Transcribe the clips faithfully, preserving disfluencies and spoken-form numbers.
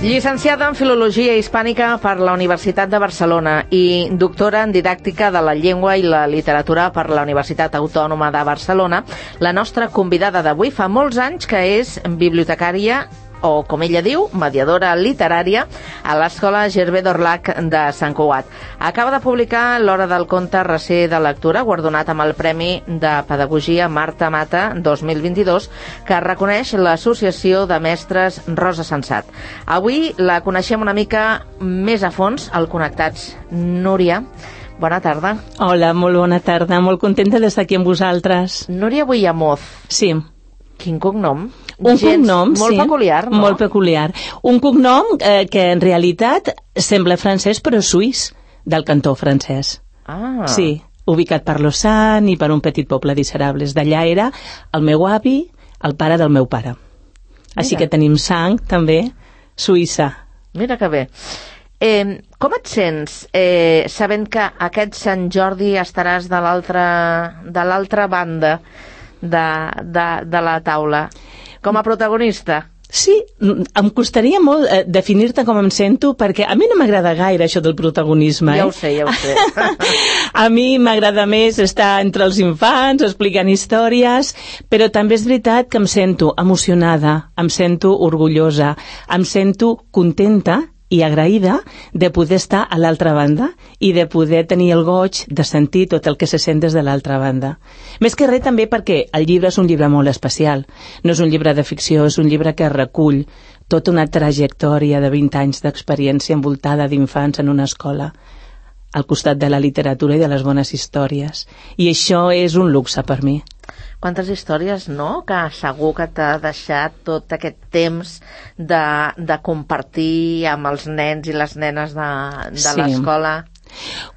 Llicenciada en Filologia Hispànica per la Universitat de Barcelona i doctora en Didàctica de la Llengua i la Literatura per la Universitat Autònoma de Barcelona, la nostra convidada d'avui fa molts anys que és bibliotecària o, com ella diu, mediadora literària a l'Escola Gervais d'Orlac de Sant Cugat. Acaba de publicar L'Hora del conte recer de lectura, guardonat amb el Premi de Pedagogia Marta Mata dos mil vint-i-dos, que reconeix l'Associació de Mestres Rosa Sensat. Avui la coneixem una mica més a fons al Connectats. Núria, bona tarda. Hola, molt bona tarda, molt contenta d'estar aquí amb vosaltres. Núria Buillamoz. Sí. Quin cognom? Un Gens, cognom, molt sí, peculiar, no? Molt peculiar. Un cognom eh, que en realitat sembla francès però suís, del cantó francès. Ah. Sí, ubicat per Lausanne i per un petit poble d'Iserables. D'allà era el meu avi, el pare del meu pare. Així Mira. que tenim sang, també, suïssa. Mira que bé. Eh, com et sents eh, sabent que aquest Sant Jordi estaràs de l'altra de l'altra banda de, de, de la taula, com a protagonista? Sí, em costaria molt eh, definir-te com em sento, perquè a mi no m'agrada gaire això del protagonisme. Eh? Ja ho sé, ja ho sé. A mi m'agrada més estar entre els infants, explicant històries, però també és veritat que em sento emocionada, em sento orgullosa, em sento contenta i agraïda de poder estar a l'altra banda i de poder tenir el goig de sentir tot el que se sent des de l'altra banda. Més que res també perquè el llibre és un llibre molt especial. No és un llibre de ficció, és un llibre que recull tota una trajectòria de vint anys d'experiència envoltada d'infants en una escola, al costat de la literatura i de les bones històries. I això és un luxe per mi. Quantes històries, no?, que segur que t'ha deixat tot aquest temps de, de compartir amb els nens i les nenes de, de Sí. l'escola.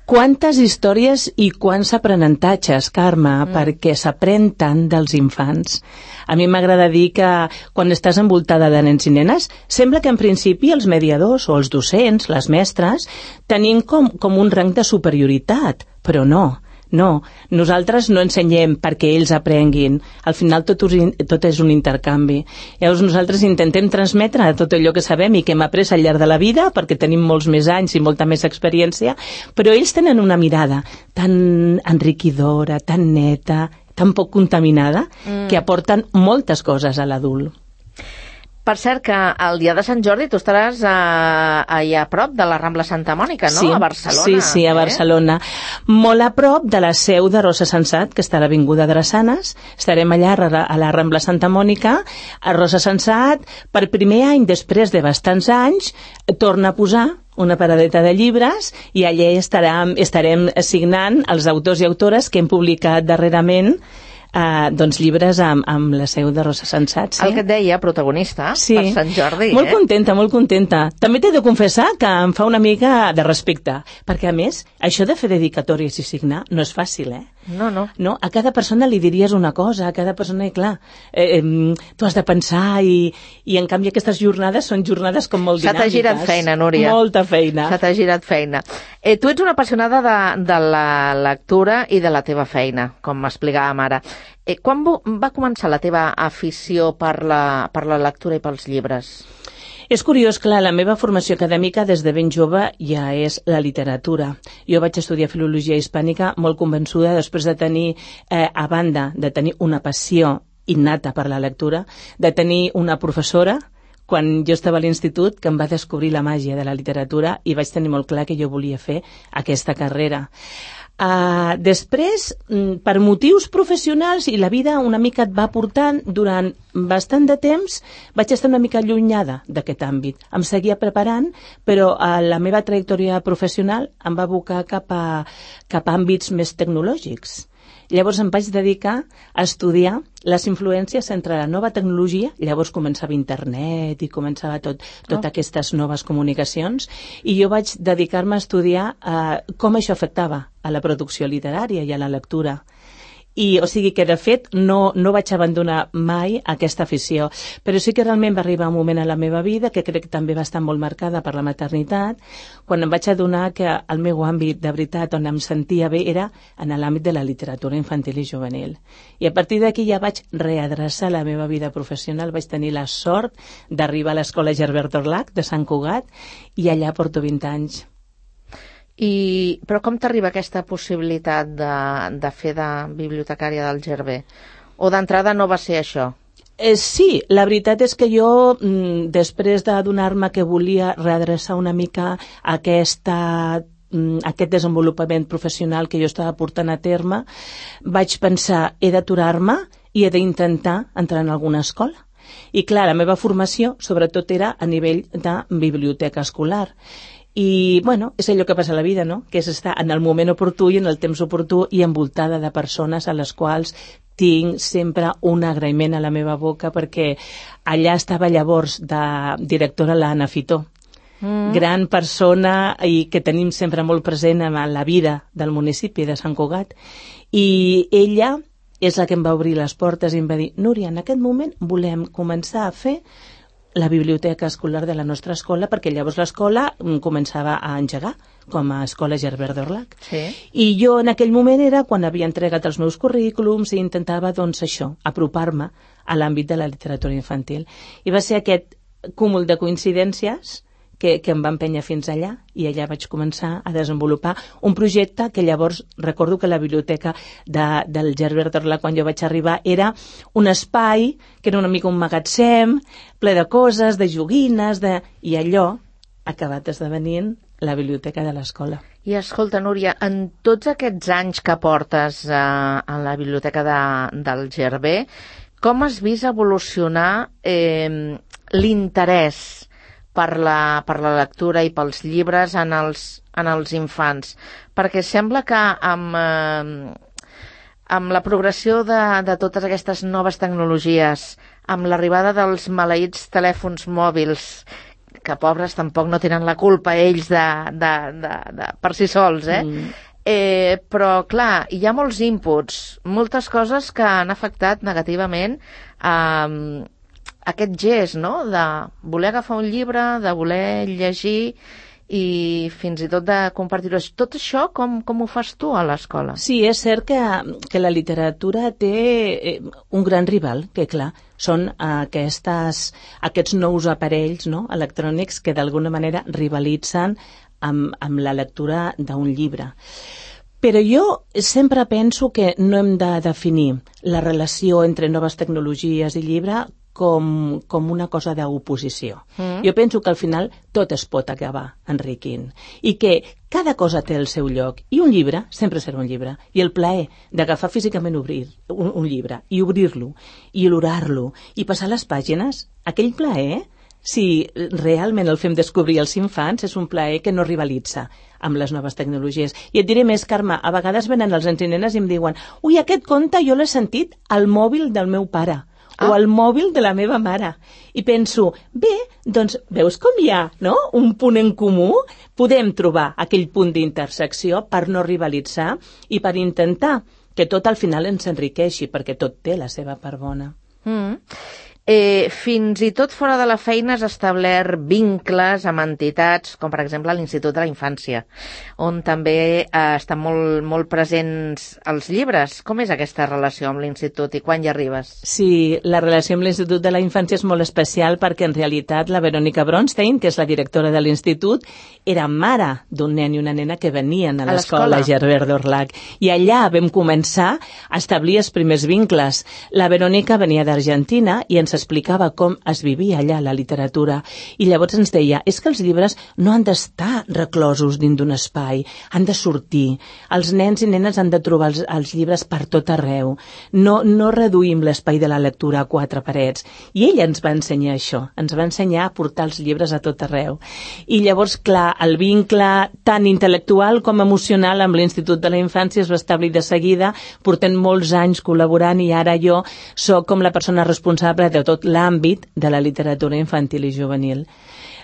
Quantes històries i quants aprenentatges, Carme, Mm. perquè s'aprèn tant dels infants. A mi m'agrada dir que quan estàs envoltada de nens i nenes, sembla que en principi els mediadors o els docents, les mestres, tenim com, com un rang de superioritat, però no. No, nosaltres no ensenyem perquè ells aprenguin. Al final tot, tot és un intercanvi. Llavors nosaltres intentem transmetre tot allò que sabem i que hem après al llarg de la vida, perquè tenim molts més anys i molta més experiència, però ells tenen una mirada tan enriquidora, tan neta, tan poc contaminada, mm. que aporten moltes coses a l'adult. Per cert, que el dia de Sant Jordi tu estaràs a, allà a prop de la Rambla Santa Mònica, no? Sí, A Barcelona. Sí, sí, a Barcelona. Eh? Molt a prop de la seu de Rosa Sensat, que està a l'Avinguda Drassanes. Estarem allà a la Rambla Santa Mònica. A Rosa Sensat, per primer any, després de bastants anys, torna a posar una paradeta de llibres i allà estarem, estarem signant els autors i autores que hem publicat darrerament Uh, doncs llibres amb, amb la seu de Rosa Sensat. Sí? El que et deia, protagonista, sí. per Sant Jordi. Molt eh? contenta, molt contenta. També t'he de confessar que em fa una mica de respecte, perquè a més, això de fer dedicatòries i signar no és fàcil, eh? No, no. No, a cada persona li diries una cosa, a cada persona, i clar, eh, eh, tu has de pensar i, i en canvi aquestes jornades són jornades com molt dinàmiques. Se t'ha girat feina, Núria. Molta feina. Se t'ha girat feina. Eh, tu ets una apassionada de, de la lectura i de la teva feina, com m'explicàvem ara. Eh, quan va començar la teva afició per la, per la lectura i pels llibres? És curiós, clar, la meva formació acadèmica des de ben jove ja és la literatura. Jo vaig estudiar Filologia Hispànica molt convençuda després de tenir, eh, a banda de tenir una passió innata per la lectura, de tenir una professora, quan jo estava a l'institut, que em va descobrir la màgia de la literatura i vaig tenir molt clar que jo volia fer aquesta carrera. Uh, després, per motius professionals i la vida una mica et va portant, durant bastant de temps vaig estar una mica allunyada d'aquest àmbit. Em seguia preparant, però uh, la meva trajectòria professional em va abocar cap a, cap a àmbits més tecnològics. Llavors em vaig dedicar a estudiar les influències entre la nova tecnologia, llavors començava internet i començava tot, totes oh. aquestes noves comunicacions, i jo vaig dedicar-me a estudiar uh, com això afectava a la producció literària i a la lectura. I, o sigui que, de fet, no, no vaig abandonar mai aquesta afició. Però sí que realment va arribar un moment a la meva vida que crec que també va estar molt marcada per la maternitat, quan em vaig adonar que el meu àmbit, de veritat, on em sentia bé era en l'àmbit de la literatura infantil i juvenil. I a partir d'aquí ja vaig readreçar la meva vida professional, vaig tenir la sort d'arribar a l'Escola Gerbert d'Orlac de Sant Cugat i allà porto vint anys. I, però com t'arriba aquesta possibilitat de, de fer de bibliotecària del Gerber? O d'entrada no va ser això? Eh, sí, la veritat és que jo, mm, després d'adonar-me que volia readreçar una mica aquesta, mm, aquest desenvolupament professional que jo estava portant a terme, vaig pensar, he d'aturar-me i he d'intentar entrar en alguna escola. I clar, la meva formació sobretot era a nivell de biblioteca escolar. I, bueno, és allò que passa a la vida, no? Que és estar en el moment oportú i en el temps oportú i envoltada de persones a les quals tinc sempre un agraïment a la meva boca, perquè allà estava llavors de directora l'Anna Fitó, mm. gran persona i que tenim sempre molt present en la vida del municipi de Sant Cugat. I ella és la que em va obrir les portes i em va dir, Núria, en aquest moment volem començar a fer la biblioteca escolar de la nostra escola, perquè llavors l'escola començava a engegar com a Escola Gerbert d'Orlac. Sí. I jo en aquell moment era quan havia entregat els meus currículums i intentava, doncs, això, apropar-me a l'àmbit de la literatura infantil. I va ser aquest cúmul de coincidències que, que em va empènyer fins allà, i allà vaig començar a desenvolupar un projecte que llavors recordo que la biblioteca de, del Gerbert d'Orlac, quan jo vaig arribar, era un espai que era una mica un magatzem ple de coses, de joguines, de... i allò ha acabat esdevenint la biblioteca de l'escola. I escolta, Núria, en tots aquests anys que portes eh, en la biblioteca de, del Gerber, com has vist evolucionar eh, l'interès per la, per la lectura i pels llibres en els, en els infants? Perquè sembla que amb, eh, amb la progressió de, de totes aquestes noves tecnologies, amb l'arribada dels maleïts telèfons mòbils, que pobres tampoc no tenen la culpa ells de, de, de, de, per si sols, eh? Mm. Eh, però clar, hi ha molts inputs, moltes coses que han afectat negativament eh, aquest gest, no?, de voler agafar un llibre, de voler llegir i fins i tot de compartir-ho. Tot això com, com ho fas tu a l'escola? Sí, és cert que, que la literatura té un gran rival, que clar, són aquestes, aquests nous aparells, no?, electrònics que d'alguna manera rivalitzen amb, amb la lectura d'un llibre. Però jo sempre penso que no hem de definir la relació entre noves tecnologies i llibre com, com una cosa d'oposició. Mm. Jo penso que al final tot es pot acabar enriquint i que cada cosa té el seu lloc i un llibre sempre serà un llibre, i el plaer d'agafar físicament obrir un, un llibre i obrir-lo i olorar-lo i passar les pàgines, aquell plaer, si realment el fem descobrir als infants, és un plaer que no rivalitza amb les noves tecnologies. I et diré més, Carme, a vegades venen els nens i nenes i em diuen, ui, aquest conte jo l'he sentit al mòbil del meu pare ah. o al mòbil de la meva mare. I penso, bé, doncs veus com hi ha, no?, un punt en comú? Podem trobar aquell punt d'intersecció per no rivalitzar i per intentar que tot al final ens enriqueixi, perquè tot té la seva part bona. Mm. Eh, fins i tot fora de la feina has establert vincles amb entitats, com per exemple l'Institut de la Infància, on també eh, estan molt, molt presents els llibres. Com és aquesta relació amb l'Institut i quan hi arribes? Sí, la relació amb l'Institut de la Infància és molt especial perquè en realitat la Verònica Bronstein, que és la directora de l'Institut, era mare d'un nen i una nena que venien a, a l'escola Gerbert d'Orlac. I allà vam començar a establir els primers vincles. La Verònica venia d'Argentina i ens explicava com es vivia allà la literatura, i llavors ens deia, és que els llibres no han d'estar reclosos dins d'un espai, han de sortir, els nens i nenes han de trobar els, els llibres per tot arreu, no, no reduïm l'espai de la lectura a quatre parets, i ella ens va ensenyar això, ens va ensenyar a portar els llibres a tot arreu, i llavors, clar, el vincle tant intel·lectual com emocional amb l'Institut de la Infància es va establir de seguida, portem molts anys col·laborant, i ara jo soc com la persona responsable de tot l'àmbit de la literatura infantil i juvenil.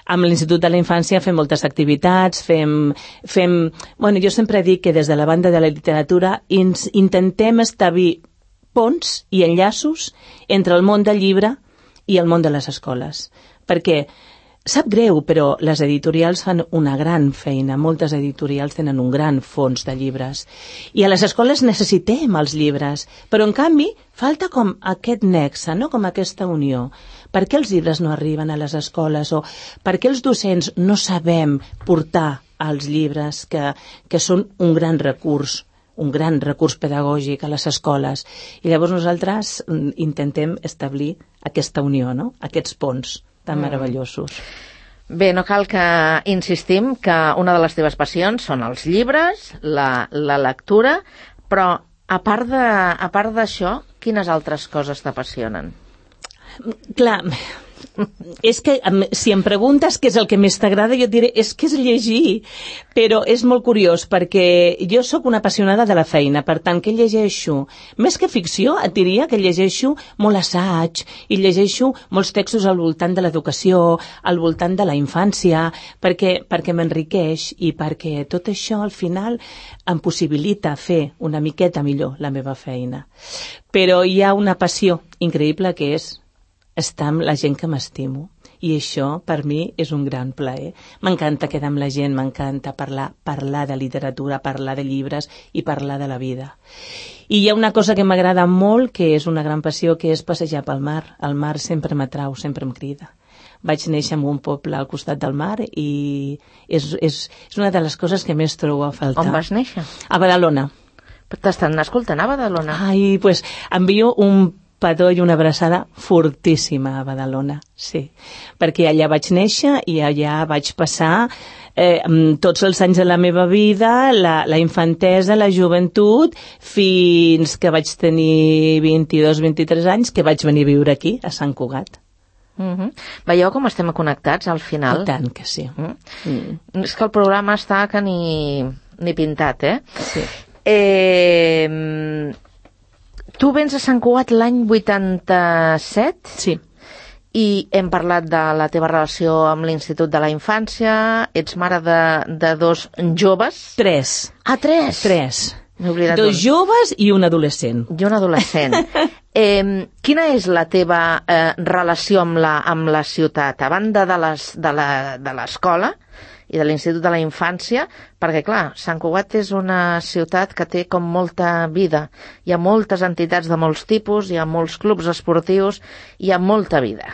amb l'Institut de la Infància fem moltes activitats, fem, fem... Bueno, jo sempre dic que des de la banda de la literatura ins, intentem establir ponts i enllaços entre el món del llibre i el món de les escoles. Perquè sap greu, però les editorials fan una gran feina. Moltes editorials tenen un gran fons de llibres. I a les escoles necessitem els llibres, però en canvi falta com aquest nexe, no? Com aquesta unió. Per què els llibres no arriben a les escoles? O per què els docents no sabem portar els llibres que, que són un gran recurs, un gran recurs pedagògic a les escoles? I llavors nosaltres intentem establir aquesta unió, no? Aquests ponts tan meravellosos. Bé, no cal que insistim que una de les teves passions són els llibres, la, la lectura, però a part de, a part d'això, quines altres coses t'apassionen? Clar, és que si em preguntes què és el que més t'agrada, jo et diré, és que és llegir, però és molt curiós perquè jo sóc una apassionada de la feina, per tant que llegeixo més que ficció, et diria que llegeixo molt assaig i llegeixo molts textos al voltant de l'educació, al voltant de la infància, perquè, perquè m'enriqueix i perquè tot això al final em possibilita fer una miqueta millor la meva feina. Però hi ha una passió increïble que és estar amb la gent que m'estimo. I això, per mi, és un gran plaer. M'encanta quedar amb la gent, m'encanta parlar, parlar de literatura, parlar de llibres i parlar de la vida. I hi ha una cosa que m'agrada molt, que és una gran passió, que és passejar pel mar. El mar sempre m'atrau, sempre em crida. Vaig néixer en un poble al costat del mar i és, és, és una de les coses que més trobo a faltar. On vas néixer? A Badalona. T'estan escoltant a Badalona? Ai, doncs pues, envio un petó i una abraçada fortíssima a Badalona, sí, perquè allà vaig néixer i allà vaig passar eh, tots els anys de la meva vida, la, la infantesa, la joventut, fins que vaig tenir vint-i-dos vint-i-tres anys, que vaig venir a viure aquí, a Sant Cugat. Uh-huh. Veieu com estem connectats al final? I tant que sí. Uh-huh. Mm. És que el programa està que ni, ni pintat, eh? Sí. Eh... Tu vens a Sant Cugat l'any vuitanta-set? Sí. I hem parlat de la teva relació amb l'Institut de la Infància, ets mare de, de dos joves? Tres. Ah, tres? Tres. M'he oblidat dos un. joves i un adolescent. I un adolescent. eh, quina és la teva eh, relació amb la, amb la ciutat, a banda de les, de la, de l'escola i de l'Institut de la Infància, perquè, clar, Sant Cugat és una ciutat que té com molta vida. Hi ha moltes entitats de molts tipus, hi ha molts clubs esportius, hi ha molta vida.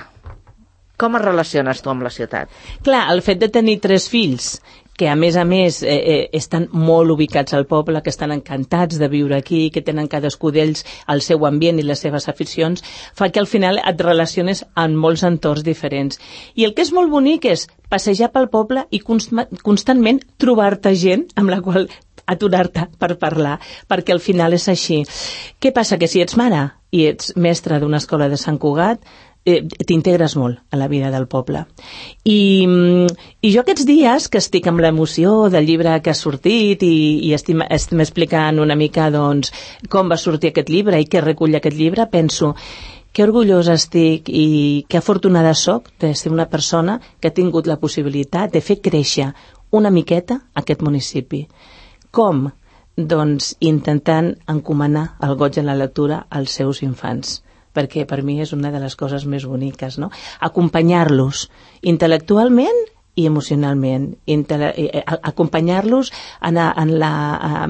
Com es relaciones tu amb la ciutat? Clar, el fet de tenir tres fills, que a més a més eh, eh, estan molt ubicats al poble, que estan encantats de viure aquí, que tenen cadascú d'ells el seu ambient i les seves aficions, fa que al final et relaciones en molts entorns diferents. I el que és molt bonic és passejar pel poble i const constantment trobar-te gent amb la qual aturar-te per parlar, perquè al final és així. Què passa? Que si ets mare i ets mestra d'una escola de Sant Cugat, Eh, t'integres molt a la vida del poble. I, i jo aquests dies que estic amb l'emoció del llibre que ha sortit i, i estim, estem explicant una mica doncs, com va sortir aquest llibre i què recull aquest llibre, penso que orgullosa estic i que afortunada soc de ser una persona que ha tingut la possibilitat de fer créixer una miqueta aquest municipi. Com? Doncs intentant encomanar el goig en la lectura als seus infants, perquè per mi és una de les coses més boniques, no? Acompanyar-los intel·lectualment i emocionalment, acompanyar-los en, en, la,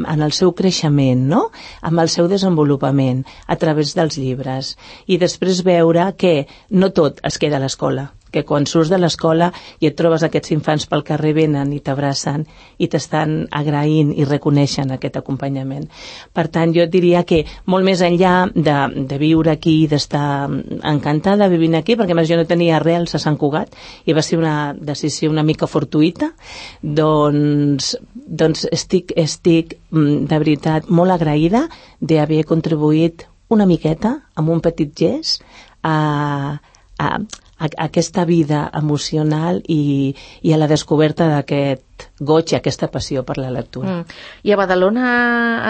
en el seu creixement, no? Amb el seu desenvolupament a través dels llibres, i després veure que no tot es queda a l'escola, que quan surts de l'escola i et trobes aquests infants pel carrer, venen i t'abracen i t'estan agraint i reconeixen aquest acompanyament. Per tant, jo diria que molt més enllà de, de viure aquí, d'estar encantada vivint aquí, perquè més jo no tenia arrels a Sant Cugat i va ser una decisió una mica fortuïta, doncs, doncs estic, estic de veritat molt agraïda d'haver contribuït una miqueta amb un petit gest a, a a aquesta vida emocional i, i a la descoberta d'aquest goig i aquesta passió per la lectura. Mm. I a Badalona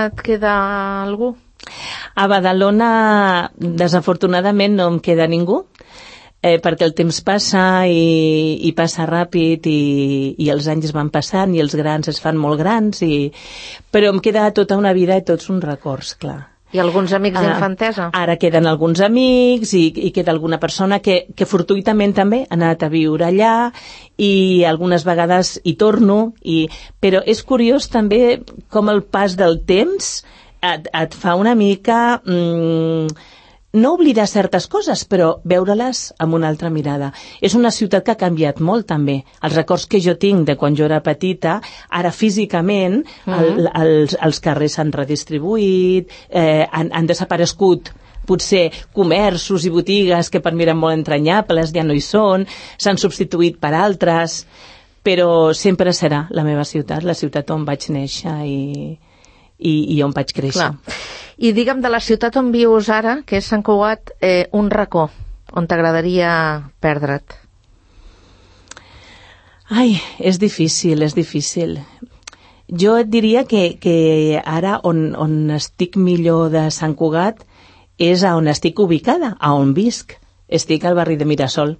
et queda algú? A Badalona, desafortunadament, no em queda ningú. eh, perquè el temps passa i, i passa ràpid i, i els anys van passant i els grans es fan molt grans, i... però em queda tota una vida i tots uns records, clar. I alguns amics Ah, d'infantesa? Ara queden alguns amics i, i queda alguna persona que, que fortuïtament també ha anat a viure allà i algunes vegades hi torno, i, però és curiós també com el pas del temps et, et fa una mica... Mmm, no oblidar certes coses, però veure-les amb una altra mirada. És una ciutat que ha canviat molt, també. Els records que jo tinc de quan jo era petita, ara físicament, mm-hmm. el, els, els carrers s'han redistribuït, eh, han, han desaparegut potser comerços i botigues que per mi eren molt entranyables, ja no hi són, s'han substituït per altres, però sempre serà la meva ciutat, la ciutat on vaig néixer i, i, i on vaig créixer. Clar. I digue'm, de la ciutat on vius ara, que és Sant Cugat, eh, un racó on t'agradaria perdre't. Ai, és difícil, és difícil. Jo et diria que, que ara on, on estic millor de Sant Cugat és a on estic ubicada, a on visc. Estic al barri de Mirasol.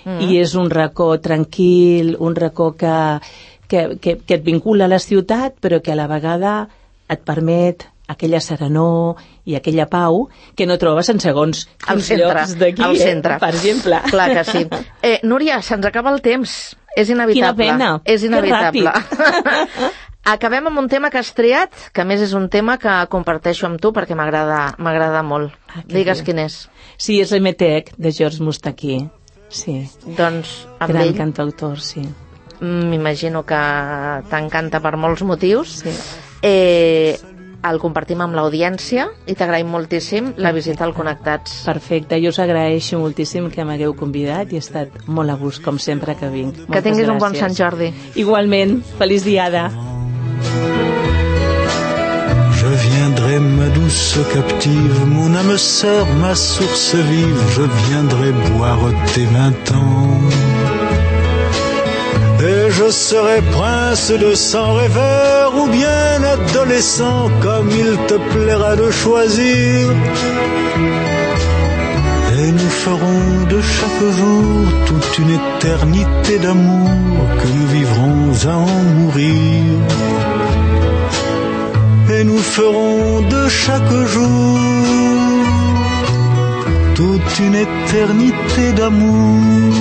Mm. I és un racó tranquil, un racó que, que, que, que et vincula a la ciutat, però que a la vegada et permet aquella serenor i aquella pau que no trobes en segons al centre, llocs d'aquí, al centre. Eh, per exemple. Clar que sí. Eh, Núria, se'ns acaba el temps. És inevitable. Quina pena. És inevitable. Que Acabem amb un tema que has triat, que a més és un tema que comparteixo amb tu perquè m'agrada m'agrada molt. Ah, Digues bé. quin és. Sí, és l'Emetec, de George Moustaki. Sí. Doncs amb Gran ell cantautor, sí. m'imagino que t'encanta per molts motius. Sí. Eh, el compartim amb l'audiència i t'agraïm moltíssim la visita al Connectats. Perfecte, jo us agraeixo moltíssim que m'hagueu convidat i he estat molt a gust, com sempre que vinc. Moltes Que tinguis gràcies. un bon Sant Jordi. Igualment, feliç diada. Je viendrai, ma douce captive, mon âme sœur, ma source vive, je viendrai boire tes vingt ans. Et je serai prince de sang rêveur ou bien adolescent, comme il te plaira de choisir. Et nous ferons de chaque jour toute une éternité d'amour que nous vivrons à en mourir. Et nous ferons de chaque jour toute une éternité d'amour